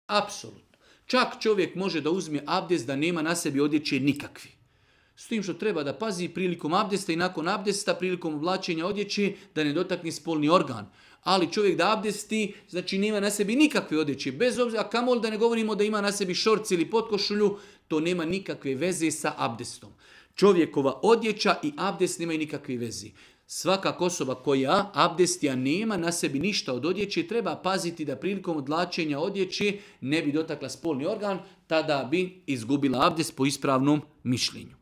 Apsolutno. Čak čovjek može da uzme abdest da nema na sebi odjeće nikakvi. S tim što treba da pazi prilikom abdesta i nakon abdesta, prilikom oblačenja odjeće, da ne dotakne spolni organ. Ali čovjek da abdesti, znači nema na sebi nikakve odjeće. Bez obzira, a kamoli da ne govorimo da ima na sebi šorci ili potkošulju, to nema nikakve veze sa abdestom. Čovjekova odjeća i abdest nemaju nikakve veze. Svaka osoba koja abdestija nema na sebi ništa od odjeće, treba paziti da prilikom odlačenja odjeće ne bi dotakla spolni organ, tada bi izgubila abdest po ispravnom mišljenju.